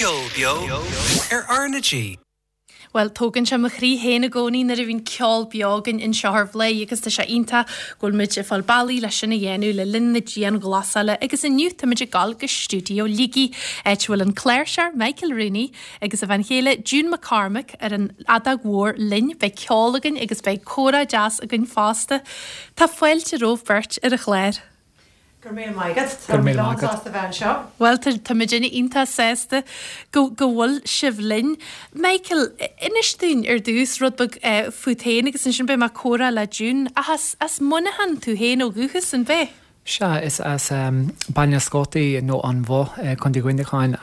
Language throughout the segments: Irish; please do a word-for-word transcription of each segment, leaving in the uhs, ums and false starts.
Ceol beo ar R na G. Bhuel, tógann sé mo chroí féin i gcónaí nuair a bhíonn ceol beo againn anseo ar Bhladhaire agus tá sé iontach go bhfuil muid ag fáil bealaí leis sin a dhéanamh le linn na dianghlasála agus inniu táimid ag dul go stiúideo Shligigh, áit a bhfuil an cláirseoir Michael Rooney agus a bhean chéile June McCormack ar an fheadóg mhór linn. Beidh ceol againn agus beidh comhrá deas againn fosta. Tá fáilte romhaibh beirt ar an chlár. Go raibh míle maith agat. Tá mé lán-sásta bheith anseo. Bhuel, tá muidinne iontach sásta go go bhfuil sibh linn. Michael, inis dúinn ar dtús rud beag fút féin agus ansin beidh mé ag comhrá le June. Ach as as Muineachán tú féin ó dhúchas, an b'ea? Sea, is as Baile na Scótaí nó an Bhoth, Contae Mhuineacháin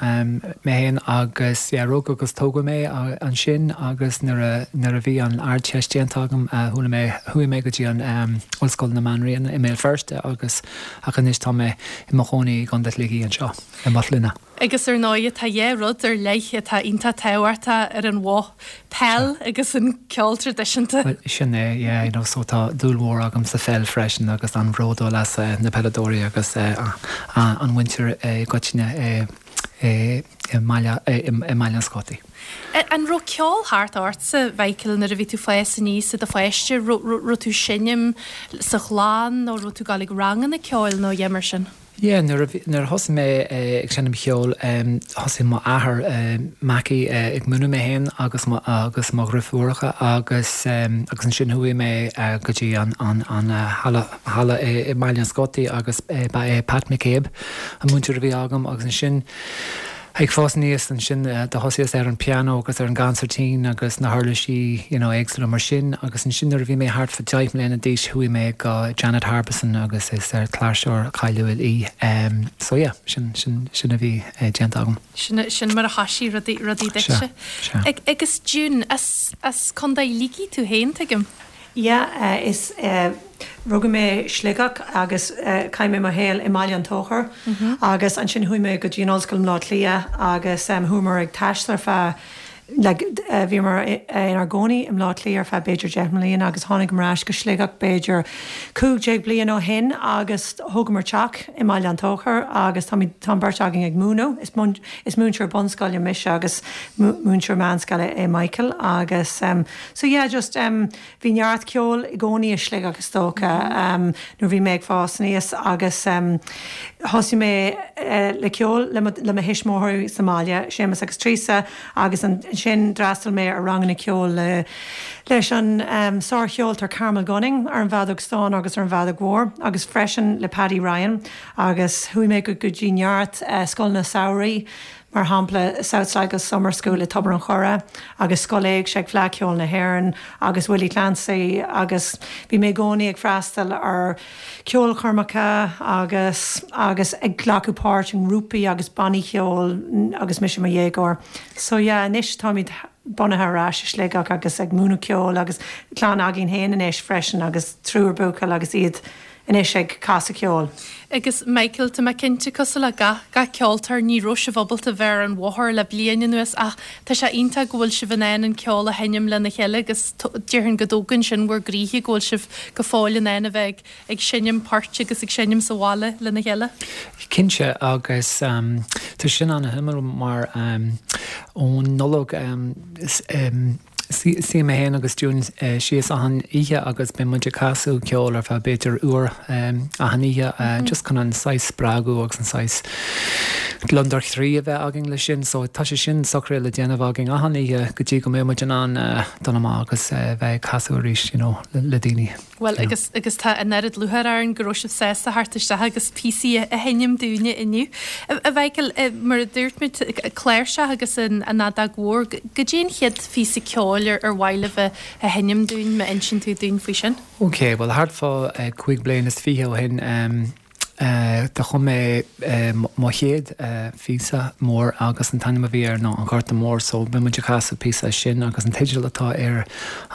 mé féin agus yeah, rugadh agus tógadh mé ansin agus nuair a nuair a bhí an Ardteist déanta agam chuala mé chuaigh mé go dtí an Ollscoil na Banríona i mBéal Feirste agus ach anois tá mé i mo chónaí i gContae Shligigh anseo i Maigh Gloine. Agus ar ndóigh tá dhá rud ar leith atá iontach tábhachtach ar an Bhoth, peil agus an ceol traidisiúnta. Bhuel sin é, yeah, you know, so tá dúil mhór agam sa pheil freisin agus an-bhródúil as na peileadóirí agus an mhuintir i gcoitinne i mBaile i mBaile na Scótaí. An raibh ceol thart ortsa, Mhichael, nuair a bhí tú ag fás aníos i do pháiste? Raibh tú ag seinm sa chlann nó raibh tú ag dul ag ranganna ceoil nó a dhath mar sin? Yeah, nuair a bhí, nuair a thosaigh mé ag seinm cheoil, thosaigh mo athair, Mackie, ag múineadh mé féin agus mo, agus mo dhriofúracha agus, agus ansin chuaigh mé go dtí an, an, an halla, halla i mBaile na Scótaí agus ba é Pat McCabe an múinteoir a bhí agam agus ansin, Ag fás aníos ansin do thosaíos ar an pianó agus ar an gconsairtín agus na huirlisí you know éagsúla mar sin agus ansin nuair a bhí mé thart fa deich mbliana d'aois chuaigh mé go Janet Harbison agus is cláirseoir cáiliúil í. So yeah, sin sin sin a bhí déanta agam. Sin sin mar a thoisigh rudaí rudaí duitse. Sea, sea. Agus June, as as Contae Shligigh tú féin, tuigim? Yeah, is rugadh mé i Sligeach agus chaith mé mo shaol i mBaile an Tóchair agus ansin chuaigh mé go dtí an Ollscoil i mBleá Cliath agus chuamar ag taisteal ar feadh like bhíomar inár gcónaí i mBleá Cliath ar feadh b'fhéidir deich mbliana agus tháinigeamar ar ais go Sligeach b'fhéidir cúig déag bliain ó shin agus thógamar teach i mBaile an Tóchair agus táimid tá an bheirt againn ag múineadh is is múinteoir bunscoile mise agus múinteoir meánscoile é Michael agus so yeah just Bhí neart ceoil i gcónaí i Sligeach is dócha nuair a bhí mé ag fás aníos agus thosaigh mé le ceol le mo thuismitheoirí sa mbaile, Séamus agus Teresa, agus ansin d'fhreastail mé ar ranganna ceoil le leis an sárcheoltóir Carmel Gunning ar an bhfeadóg stáin agus ar an bhfeadóg mhór agus freisin le Paddy Ryan agus chuaigh mé go dtí neart scoileanna samhraidh. mar shampla South Sligo Summer School i Tobar an Choire agus Scoil Éigse ag Fleadh Cheoil na hÉireann agus Willie Clancy agus bhí mé i gcónaí ag freastal ar ceolchoirmeacha agus agus ag glacadh páirt i ngrúpaí agus bannaí cheoil agus mise i mo dhéagóir. So yeah, anois táimid bunaithe ar ais i Sligeach agus ag múineadh ceoil agus clann againn féin anois freisin agus triúr buachaill agus iad anois ag casadh ceoil. Agus Michael, tá mé cinnte, cosúil le gach, gach ceoltóir, ní raibh sibh ábalta bheith ar an bhóthar le bliain anuas ach tá sé iontach go bhfuil sibh in ann an ceol a sheinm lena chéile agus déarfainn go dtógann sin bhur gcroíthe go bhfuil sibh go fóill in ann a bheith ag, ag seinm poirt agus ag seinm sa bhaile lena chéile. Cinnte, agus tá sin an-shuimiúil mar ón Nollaig, Suíonn mé féin agus June síos achan oíche agus bíonn muid ag casadh ceoil ar feadh b'fhéidir uair achan oíche just chun an saghas spreagadh agus an saghas gliondar chroí a bheith againn leis sin. So tá sé sin socraithe le déanamh againn achan oíche go dtí go mbeidh muid in ann dul amach agus bheith ag casadh arís you know le daoine. Bhuel, agus, agus tá an oiread lúcháir orainn go raibh sibh sásta theacht isteach agus píosaí a sheinm dúinne inniu. A Mhichael, mar a dúirt muid, cláirseach agus an fheadóg mhór, goidé an chéad phíosa ceoil ar ar mhaith libh a sheinm dúinn, má insíonn tú dúinn faoi sin? Ok, bhuel thart fá cúig bliana is fiche ó shin, Do chum mé mo chéad phíosa mór agus an t-ainm a bhí air ná An Gorta Mór so beidh muid ag casadh píosa as sin agus an teideal atá ar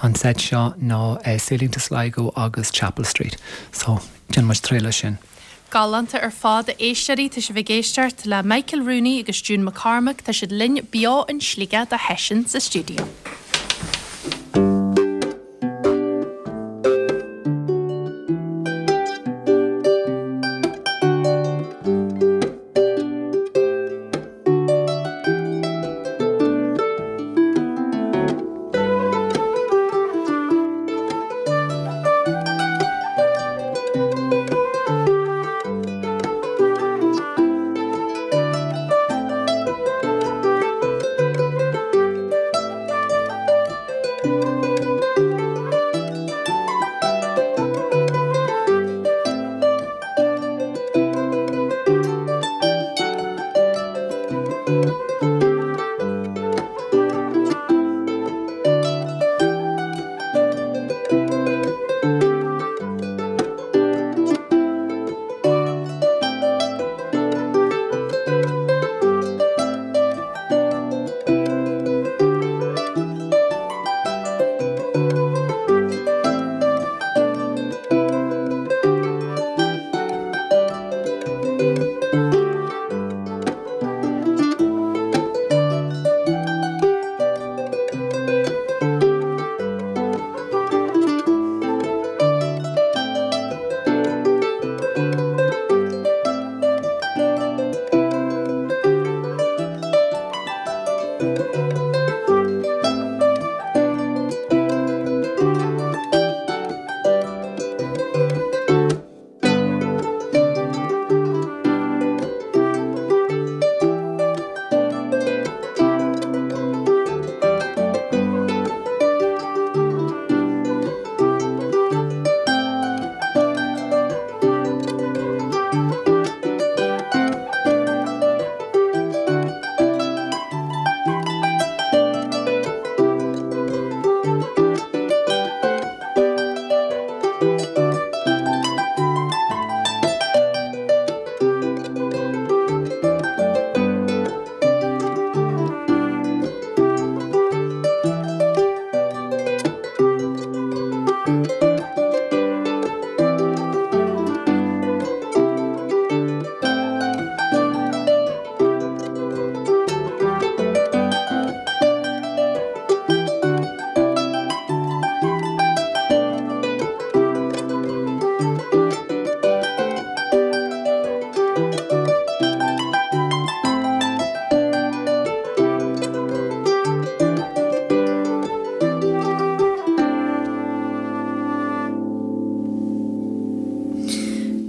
an seit seo ná Sailing to Sligo agus Chapel Street so déanfaidh muid triail as sin. Galánta ar fad, a éisteoirí, tá sibh ag éisteacht le Michael Rooney agus June McCormack, tá siad linn beo in Sligeach do sheisiún sa stiúideo.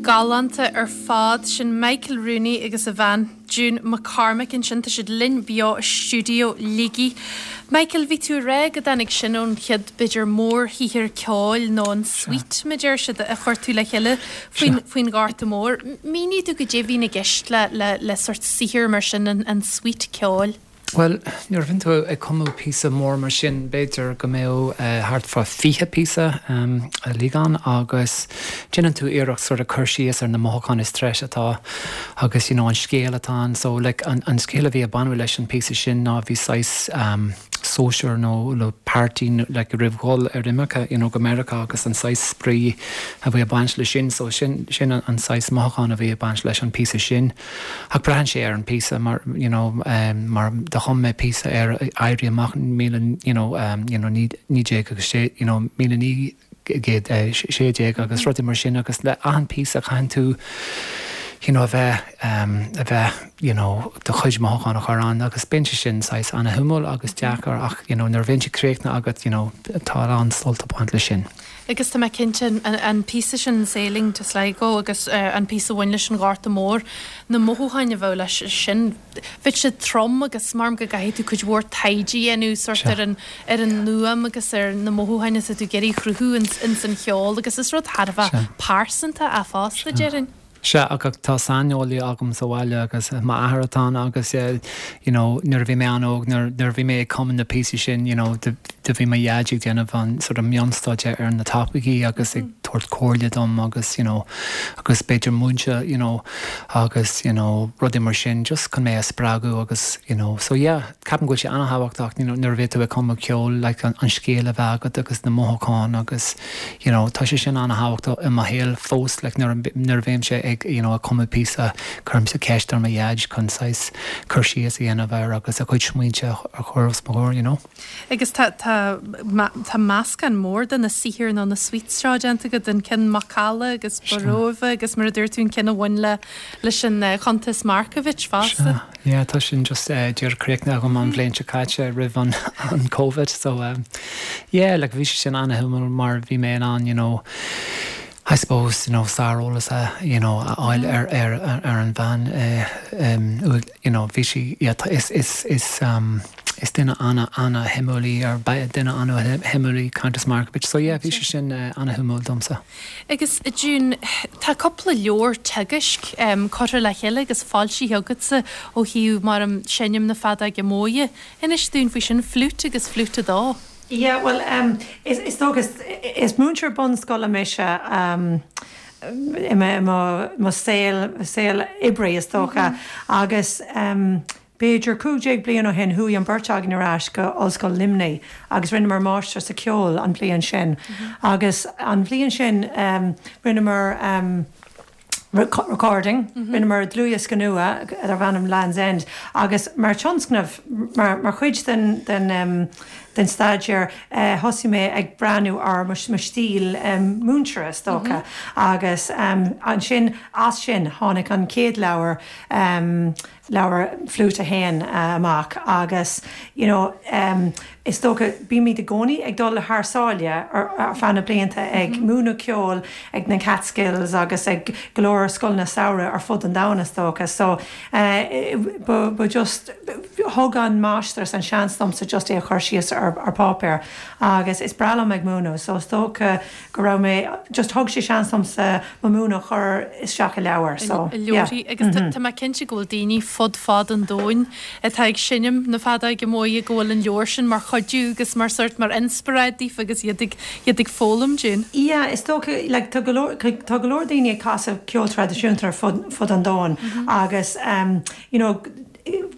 Galánta ar fad sin Michael Rooney agus a bhean June McCormick ansin tá siad linn beo i stiúideo Shligigh. Michael bhí tú ag rá go dtáinig sin ón chéad b'fhéidir mórshaothar ceoil nó an suite mar a deir siad a chuir tú le chéile faoin faoin Ghorta Mór. Mínigh domh goidé a bhíonn i gceist le le le sórt saothar mar sin an an suite ceoil. Bhuel, nuair a bhíonn tú ag cumadh píosa mór mar sin, b'fhéidir go mbeadh thart fá fiche píosa uilig ann agus déanann tú iarracht sort of cur síos ar na mothúcháin is treise atá agus you know an scéal atá ann. So like an an scéal a bhí ag baint leis an píosa sin ná bhí saghas um sóisir nó nó party like roimh dhul ar imirce you know go Meiriceá agus an saghas spraoi a bhí ag baint leis sin. So sin sin an an saghas mothúchán a bhí ag baint leis an píosa sin. Ach braitheann sé ar an píosa mar you know um mar do chum mé píosa ar éirí amach míle you know um you know naoi naoi déag agus sé you know míle naoi gcéad sé déag agus rudaí mar sin agus le achan píosa caitheann tú you know a bheith um a bheith you know do chuid mothúchán a chur ann agus bíonn sé sin saghas ana-shuimiúil agus deacair ach you know nuair a bhíonn sé críochnaithe agat you know tá a lán sult ag baint leis sin. Agus tá mé cinnte an píosa sin Sailing to Sligo agus an píosa a bhain leis an Ghorta Mór, na mothúcháin a bheadh leis sin, bheadh siad trom agus maram go gcaithfidh tú cuid mhór taighde a dhéanamh sórt ar an ar an fhuaim agus ar na mothúcháin atá tú ag iarraidh a chruthú ins an cheol agus is rud thar a bheith pearsanta é fosta, déarfainn. Sea, ach tá saineolaí agam sa bhaile agus m'athair atá ann agus you know nuair a bhí mé an-óg, nuair nuair a bhí mé ag cumadh na píosaí sin you know do do bhí mo dhaid ag déanamh an sort of mionstaidéar ar na topaicí agus ag tabhairt comhairle dom agus you know agus b'fhéidir múineadh you know agus you know rudaí mar sin just chun mé a spreagadh agus you know so yeah ceapaim go bhfuil sé an-thábhachtach you know nuair a bhí tú ag cumadh ceoil like an an scéal a bheith agat agus na mothúcháin agus you know tá sé sin an-thábhachtach i mo shaol fós like nuair nuair a bhímse ag you know ag cumadh píosa cuirimse ceist ar mo dhaid chun saghas cur síos a dhéanamh air agus a chuid smaointe a chur os mo chomhair you know. Agus tá tá tá meascán mór de na saothair nó na suites seo déanta agat, an ceann Macalla agus Borova agus mar a dúirt tú an ceann a bhain le leis an Chuntas Markievicz fosta. Sea, yeah, tá sin just díreach críochnaithe agam an bhliain seo caite roimh an an Covid so yeah like bhí sé sin an-shuimiúil mar bhí mé in ann you know I suppose you know sáreolas a you know a fháil ar ar ar an bhean you know bhí sí yeah is is is um is duine ana ana-shuimiúil í ar duine ana-shuimiúil í Countess Markievicz. So yeah, bhí sé sin uh, ana-shuimiúil domsa. Agus June, tá cúpla leabhar teagaisc um, curtha le chéile agus foilsithe agatsa ó thaobh mar um, seinm na feadóige móire. Inis dúinn faoi sin flute agus flute a dó. Yeah, well, um, is, is dócha is, is múinteoir bunscoile mise um, i mo, mo saol saol oibre is dócha mm -hmm. agus um, B'fhéidir cúig déag bliain ó shin chuaigh an bheirt againn ar ais go Ollscoil Luimnigh agus rinneamar máistir sa ceol an bhliain sin. Mm -hmm. Agus an bhliain sin um, rinneamar um, recording mm -hmm. rinneamar dlúthdhiosca nua darb ainm Land's End agus mar tionscnamh mar, mar chuid den, den, um, den staidéar uh, thosaigh mé ag breathnú ar mo stíl um, múinte is dócha mm -hmm. agus um, ansin as sin tháinig an chéad leabhar um, leabhar flute a haon uh, amach agus you know, um, is dócha bímid i gcónaí ag dul le thar sáile ar, ar feadh na blianta ag mm -hmm. múineadh ceoil ag na Catskills agus ag go leor scoileanna samhraidh ar fud an domhain is dócha so uh, but just thug an máistreacht an seans domsa just é a chur síos ar, ar páipéar agus is breá liom ag múineadh so is dócha go raibh mé just thug sé seans domsa mo mhúineadh a chur isteach i leabhar so yeah. agus mm -hmm. Tá mé cinnte go bhfuil daoine fud fad an domhain atá ag seinm na feadóige móire go bhfuil an leabhar sin mar chuidiú agus mar sort mar inspioráid daofa agus iad ag iad ag foghlaim June. Yeah, is dócha like, tá go leor tá go leor daoine ag casadh ceol traidisiúnta ar fud, fud an domhain mm -hmm. agus um, you know,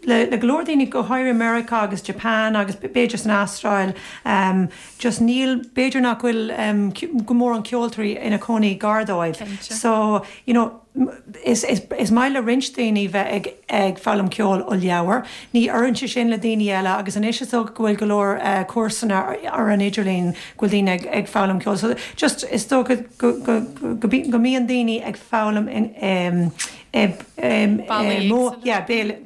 le, le go leor daoine go háirithe America agus Japan agus b'fhéidir san Astráil um, just níl b'fhéidir nach bhfuil um, go mór an ceoltóirí ina cónaí gar dóibh. So you know, is, is, is maith le roinnt daoine bheith ag, ag foghlaim ceol ó leabhar, ní oireann sé sin le daoine eile agus anois is dócha go bhfuil go leor uh, cúrsaí ar an idirlíon go bhfuil daoine ag, ag foghlaim ceol. So just is dócha go, go, go, go, go mbíonn daoine ag foghlaim in um,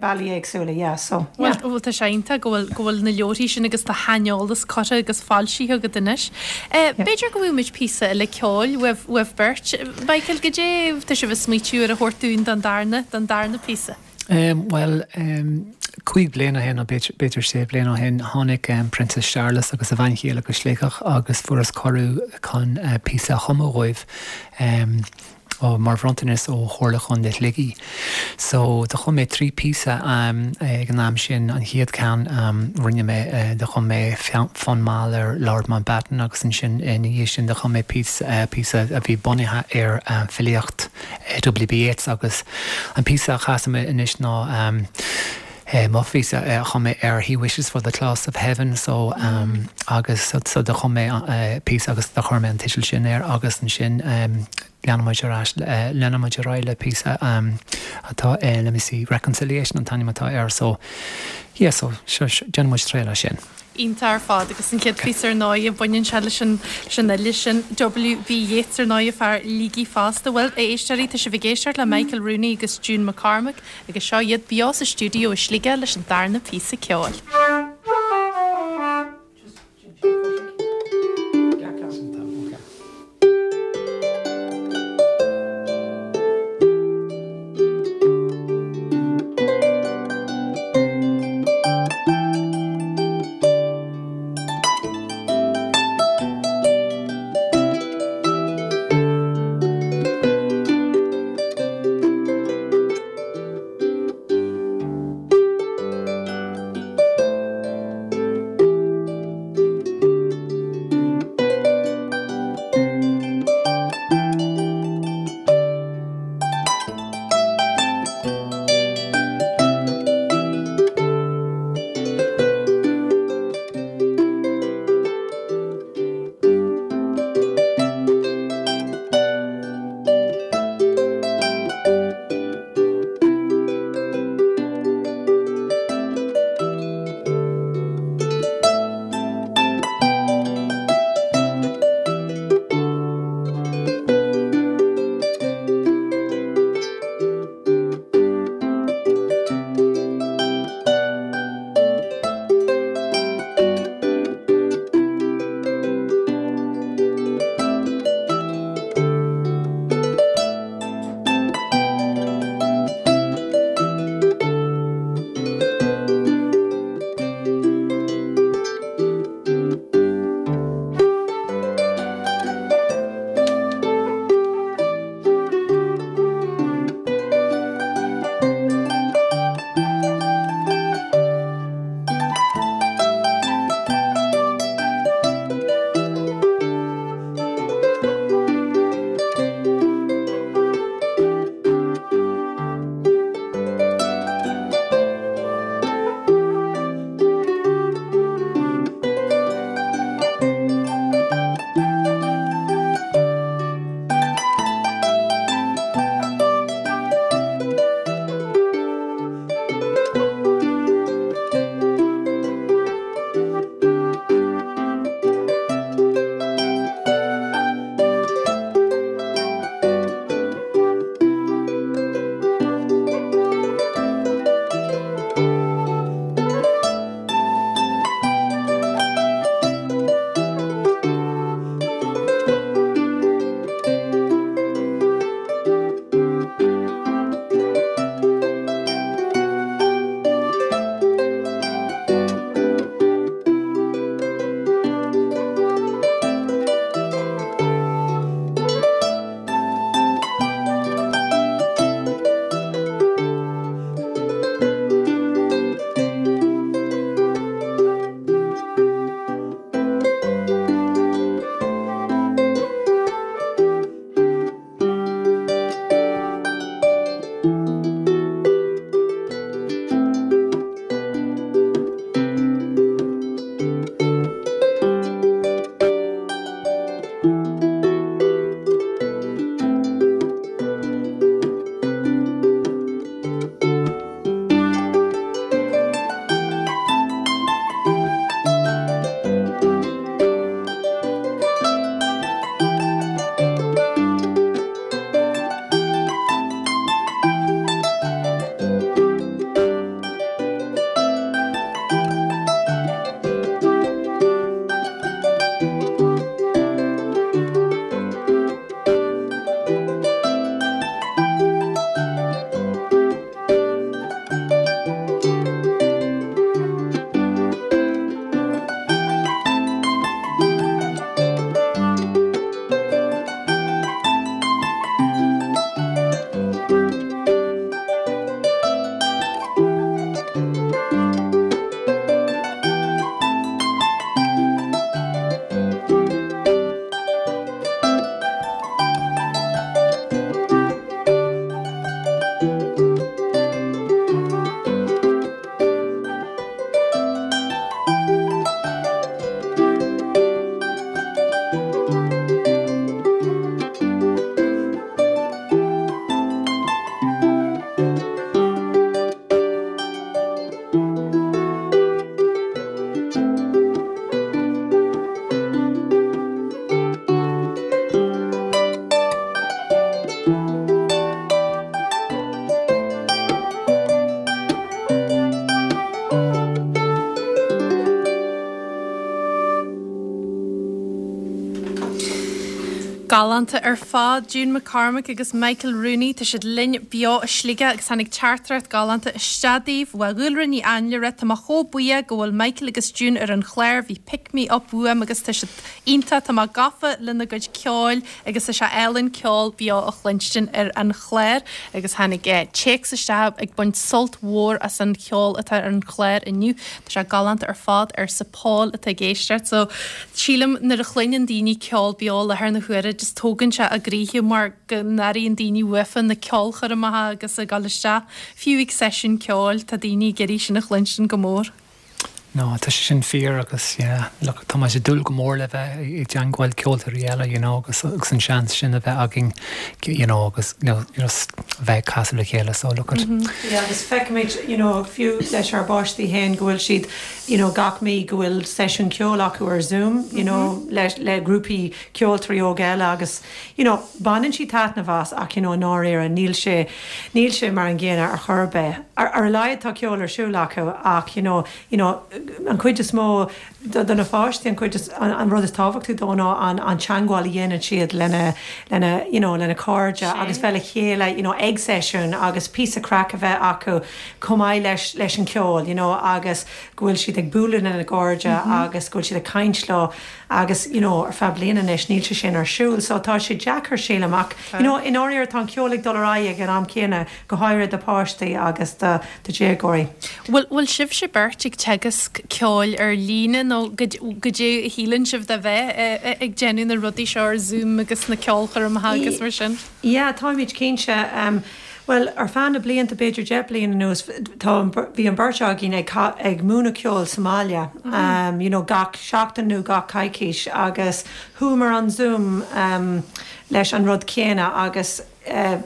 bealaí éagsúla yeah, so yeah. Bhfuil tá sé iontach go bhfuil go bhfuil na leabharthaí sin agus do shaineolas curtha agus foilsithe agat anois. B'fhéidir go bhfuil muid píosa eile ceoil uaibh beirt. Michael goidé tá sibh ag smaoitiú ar a thabhairt dúinn don darna don darna píosa. Um, well, um, cúig bliana ó shin b'fhéidir sé bliana ó shin tháinig um, Princess Charles agus a bhean chéile go Sligeach agus fuaireas cuireadh chun uh, píosa a chumadh dóibh. Um, ó mar bhronntanas ó Chomhairle Chontae Shligigh. So do chum mé trí píosa um, ag an am sin an chéad ceann um, rinne mé uh, do chum mé fonn mall ar Lord Mountbatten agus ansin ina dhiaidh sin do chum mé píosa uh, píosa a bhí bunaithe ar um, filíocht uh, W.B. Yeats agus an píosa a chasfaidh mé anois ná um, Uh, mo phíosa uh, chum mé ar he wishes for the claws of heaven so um, agus so, so do chum mé uh, píosa agus do chuir mé an teideal sin air agus ansin um, leanfaimid ar ais leanfaimid ar aghaidh le píosa um, atá uh, let me see reconciliation an t-ainm atá air so yeah, so déanfaimid triail as sin. Iontach ar fad agus an chéad phíosa ar ndóigh baineann sé leis an leis an fhile sin W.B. Yeats ar ndóigh fear Shligigh fosta bhuel a éisteoirí tá sibh ag éisteacht le Michael Rooney agus June McCormack agus seo iad beo sa stiúideo i Sligeach leis an darna píosa ceoil. Galánta ar fad June McCormick agus Michael Rooney tá siad linn beo i Sligeach agus tháinig teachtaireacht galánta isteach daoibh ó Dhúlra Ní Ainlire tá mé chomh buíoch go bhfuil Michael agus June ar an chlár bhí pick me up uaim agus tá siad iontach tá mé gafa lena gcuid ceoil agus tá sé álainn ceol beo a chluinstin ar an chlár agus tháinig eh, téacs isteach ag baint sult mhór as an cheol atá ar an chlár inniu Tá sé galánta ar fad arsa Paul atá ag éisteacht so sílim nuair a chluineann daoine ceol beo le thar na huaire just tógann sé a gcroíthe mar go n-airíonn daoine uafa na ceolchoirmeacha agus ag dul isteach fiú ag seisiún ceoil tá daoine ag iarraidh sin a chluinstin go mór. No, tá sé sin fíor agus yeah, look, tá sé dúil go mór le bheith i dteagmháil ceoltóirí eile you know, agus agus an seans sin a bheith againn you know, agus you know, you know, bheith casadh le chéile so look at. Mm -hmm. yeah, agus feicimid you know, fiú leis ár bpáistí féin go bhfuil siad you know, gach mí go bhfuil seisiún ceoil acu ar Zoom you know, mm -hmm. le, le grúpaí ceoltóirí óga eile agus you know, baineann siad taitneamh as ach you know, náir níl sé níl sé mar an gcéanna ar chor ar bith. Ar, ar a laghad tá ceol ar siúl acu ach you know, you know, an chuid is mó do na páistí an chuid an, an rud is tábhachtaí dó ná an, an teagmháil a dhéanann siad lena lena you know, lena cairde agus bheith le chéile you know, ag seisiún agus píosa craic a bheith acu chomh maith leis leis an ceol you know, agus go bhfuil siad ag bualadh lena gcairde mm -hmm. agus go bhfuil siad ag caint leo agus you know, ar feadh bliana anois níl sé sin ar siúl, so tá sé deacair sílim ach you know, in áir tá ceol ag dul ar aghaidh ag an am céanna go háirithe do pháistí agus do do dhéagóirí. Bhfuil bhfuil sibhse beirt ag teagasc ceoil ar líne nó go dté a shíleann sibh de bheith ag déanamh na rudaí seo ar Zoom agus na ceolchoirmeacha agus mar sin? Yeah, táimid cinnte. Um, Well ar feadh na blianta b'fhéidir deich bliana anuas tá bhí an bheirt againn ag ag múineadh ceol sa mbaile mm -hmm. um, you know, gach seachtain nó gach coicís agus chuamar an Zoom um, leis an rud céanna agus uh,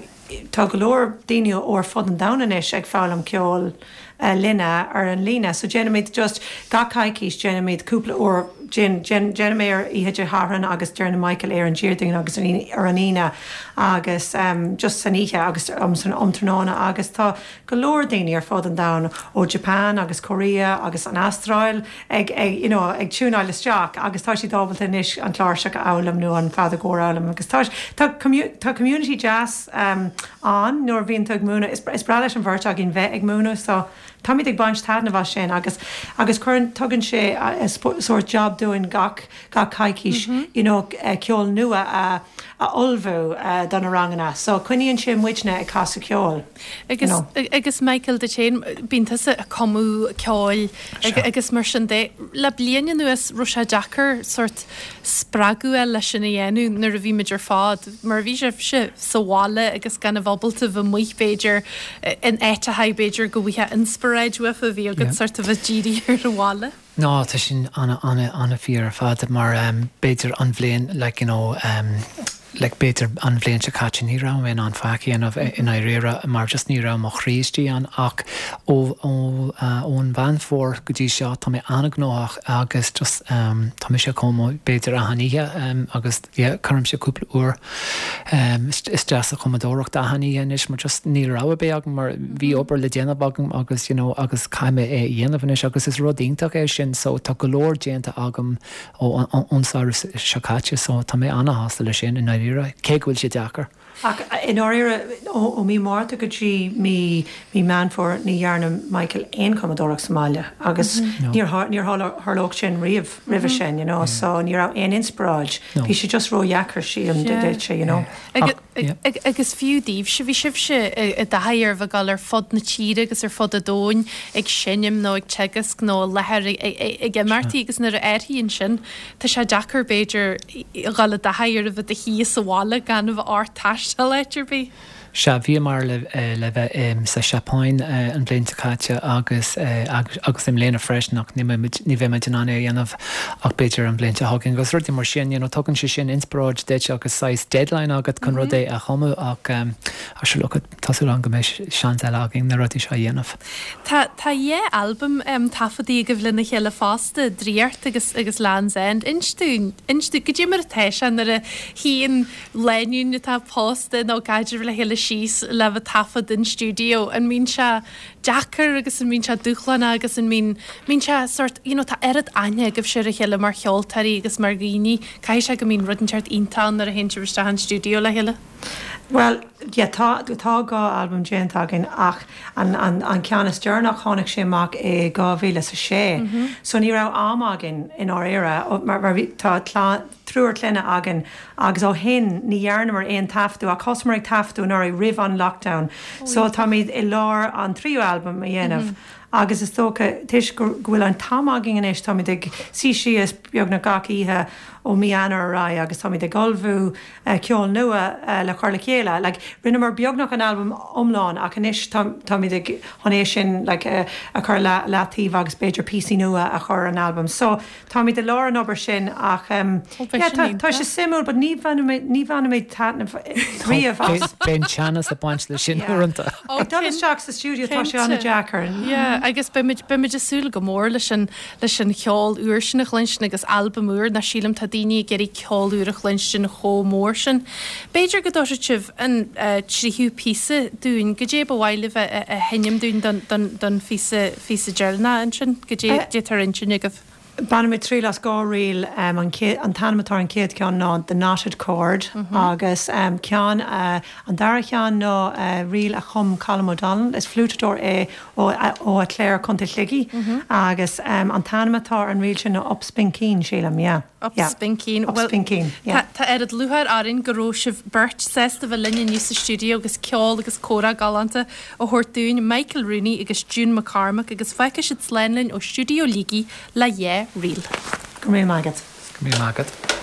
tá go leor daoine ó ar fud an domhain anois ag foghlaim ceol uh, linne ar an líne. So déanaimid just gach coicís déanaimid cúpla uair déanaim ar oíche Dé Sathairn agus déanann Michael ar an Déardaoin agus ar an Aoine agus um, just san oíche agus um, san um tráthnóna agus tá go leor daoine ar fud an domhain ó Japan agus Korea agus an Astráil ag, ag, you know, ag tiúnáil isteach agus tá siad ábalta anois an chláirseach a fhoghlaim nó an feadóg a fhoghlaim agus tá tá, commu tá community deas um, an nuair a bhíonn tú ag múineadh is, is breá leis an bheirt againn bheith ag múineadh so táimid ag baint taitneamh as sin agus agus cuireann tugann sé sórt job dúinn gach gach coicís mm -hmm. you know, uh, ceol nua a a ullmhú uh, do na ranganna so coinníonn sé muidne ag casadh ceoil. Agus, you know. agus Michael duit féin bíonn tusa ag cumadh ceoil agus mar sin de le bliain anuas raibh sé deacair sórt spreagadh leis sin a dhéanamh nuair a bhí muid ar fad mar bhí sibhse sa bhaile agus gan a bheith ábalta bheith amuigh b'fhéidir in áiteacha b'fhéidir go bhfuil inspioráid uafa bhí agat sórt a bheith dírithe ar an bhaile. No tá sin an an an-fhíor ar fad mar um, b'fhéidir an bhliain like, you know, um, like b'fhéidir an bhliain seo caite ní raibh mé an faic a dhéanamh i ndáiríre mar just ní raibh mo chroí istigh ann ach ó ón Mheán Fómhair go dtí seo tá mé an-ghnóthach agus just um, tá mise ag cumadh b'fhéidir achan oíche um, agus yeah, cuirimse cúpla uair um, isteach sa chumadóireacht achan oíche anois mar just níl rogha ar bith agam mar bhí obair le déanamh agam agus you know, agus caithfidh mé é a dhéanamh anois agus is rud iontach é sin so tá go leor déanta agam ó ón samhradh seo caite so tá mé an-shásta leis sin i ndáiríre cé go bhfuil sé deacair. Ach i ndáiríre ó mí Márta go dtí mí mí Meán Fómhair ní dhearna Michael aon chumadóireacht sa mbaile agus níor níor tharlódh sin riamh roimhe sin, you know, so ní raibh aon inspioráid. Bhí sé just ródheacair sílim duitse, you know. Agus fiú daoibhse bhí sibhse i dtaithí ar bheith ag dul ar fud na tíre agus ar fud an domhain ag seinm nó ag teagasc nó láthair ag imeachtaí agus nuair a athraíonn sin tá sé deacair b'fhéidir dhul i dtaithí ar a bheith i do shuí sa bhaile gan a bheith ort taisteal áit ar bith. Sea, bhíomar le le bheith sa Seapáin an bhliain seo caite agus agus i mbliana freisin ach ní ní bheimid in ann é a dhéanamh ach b'fhéidir an bhliain seo chugainn agus rudaí mar sin, you know, tugann sé sin inspioráid duit agus saghas deadline agat chun rud é a chumadh ach ach sure look tá súil agam go mbeidh seans eile againn na rudaí seo a dhéanamh. Tá tá dhá albam um, taifeadta agaibh lena chéile fosta, Draíocht agus agus Land's End. Inis dúinn, inis dúinn, goidé mar atá sé nuair a shuíonn lánúin atá pósta nó i gcaidreamh le chéile síos le bheith taifead in stiúideo, an mbíonn sé deacair agus an mbíonn sé dúshlánach agus an mbíonn mbíonn sé sort, you know, tá oiread aithne agaibhse ar a chéile mar cheoltóirí agus mar dhaoine, caithfidh sé go mbíonn rud inteacht iontach ann nuair a théann sibh isteach an stiúideo le chéile? Well, yeah, tá tá dhá albam déanta againn ach an, an, an ceann is deireanach tháinig sé amach i dhá mhíle is a sé. So ní raibh am againn i ndáiríre mar, mar bhí tá triúr clainne againn agus ó shin ní dhearnamar aon taifeadadh ach thosaíomar ag taifeadadh anuraidh roimh an lockdown. So táimid i lár an tríú albam a dhéanamh. Agus is dócha toisc go bhfuil an t-am againn anois táimid ag suí síos beagnach gach oíche ó mí Eanáir ar aghaidh agus táimid ag ullmhú ceol nua le cur le chéile. Like, rinneamar beagnach an albam iomlán ach anois táimid ag chun é sin like, a chur le leataobh agus b'fhéidir píosaí nua a chur ar an albam. So táimid i lár an obair sin ach um, yeah, tá, tá sé suimiúil, but ní ní bhainimid taitneamh riamh as. Bíonn teannas ag baint leis sin uaireanta. Ag dul isteach sa stiúideo tá sé an-deacair. Yeah, agus beimid beimid ag súil go mór leis an leis an cheol úr sin a chluinstin agus albam úr ná sílim tá daoine ag iarraidh ceol úr a chluinstin chomh mór sin. B'fhéidir go dtabharfaidh sibh an uh, tríú píosa dúinn, goidé ba mhaith libh a, a sheinm dúinn don, don, don phíosa phíosa deireanach ansin, goidé atá ar intinn agaibh. Bainfidh mé triail as dhá ríl um, an, an t-ainm atá ar an chéad cheann ná The Knotted Cord mm -hmm. agus um, ceann uh, an dara ceann ná uh, ríl a chum Colm O'Donnell is fliútadóir é ó, ó Achléire Contae Shligigh mm -hmm. agus um, an t-ainm atá ar an ríl sin ná Up Spinkeen sílim, yeah. Up yeah. Spinkeen. Up Spinkeen, yeah. Tá oiread lúcháir orainn go raibh sibh beirt sásta bheith linn inniu sa stiúideo agus ceol agus comhrá galánta a thabhairt dúinn Michael Rooney agus June McCormack agus fágfaidh siad slán linn ó stiúideo Shligigh le dhá ríl. Go raibh maith agat. Go raibh maith agat.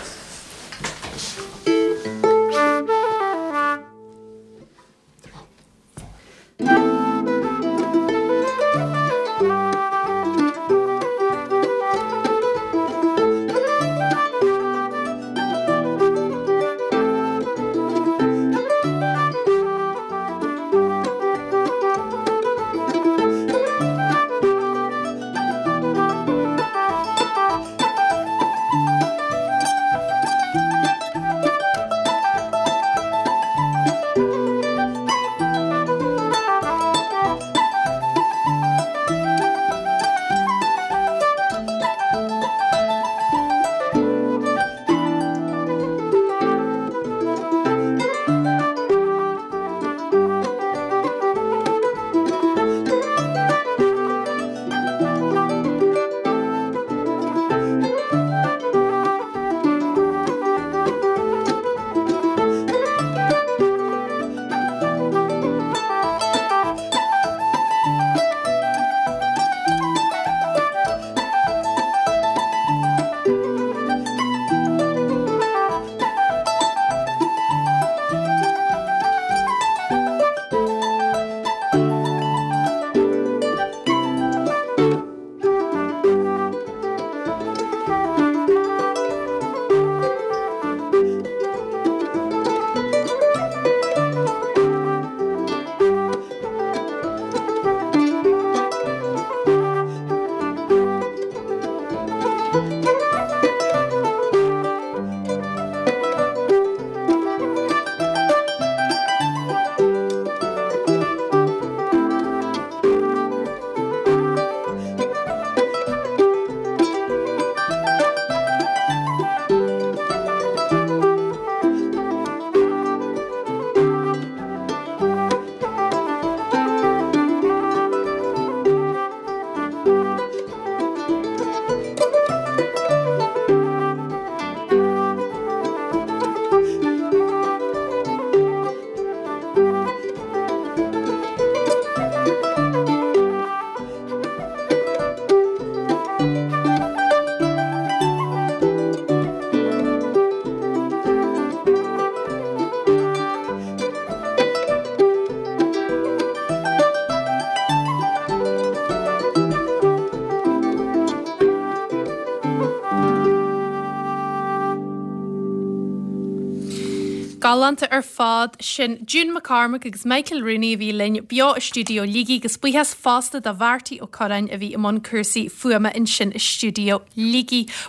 Galánta ar fad sin June McCormack agus Michael Rooney a bhí linn beo i stiúideo Shligigh agus buíochas fosta do Mharty Ó Curráin a bhí i mbun cúrsaí fuaime ansin i stiúideo Shligigh.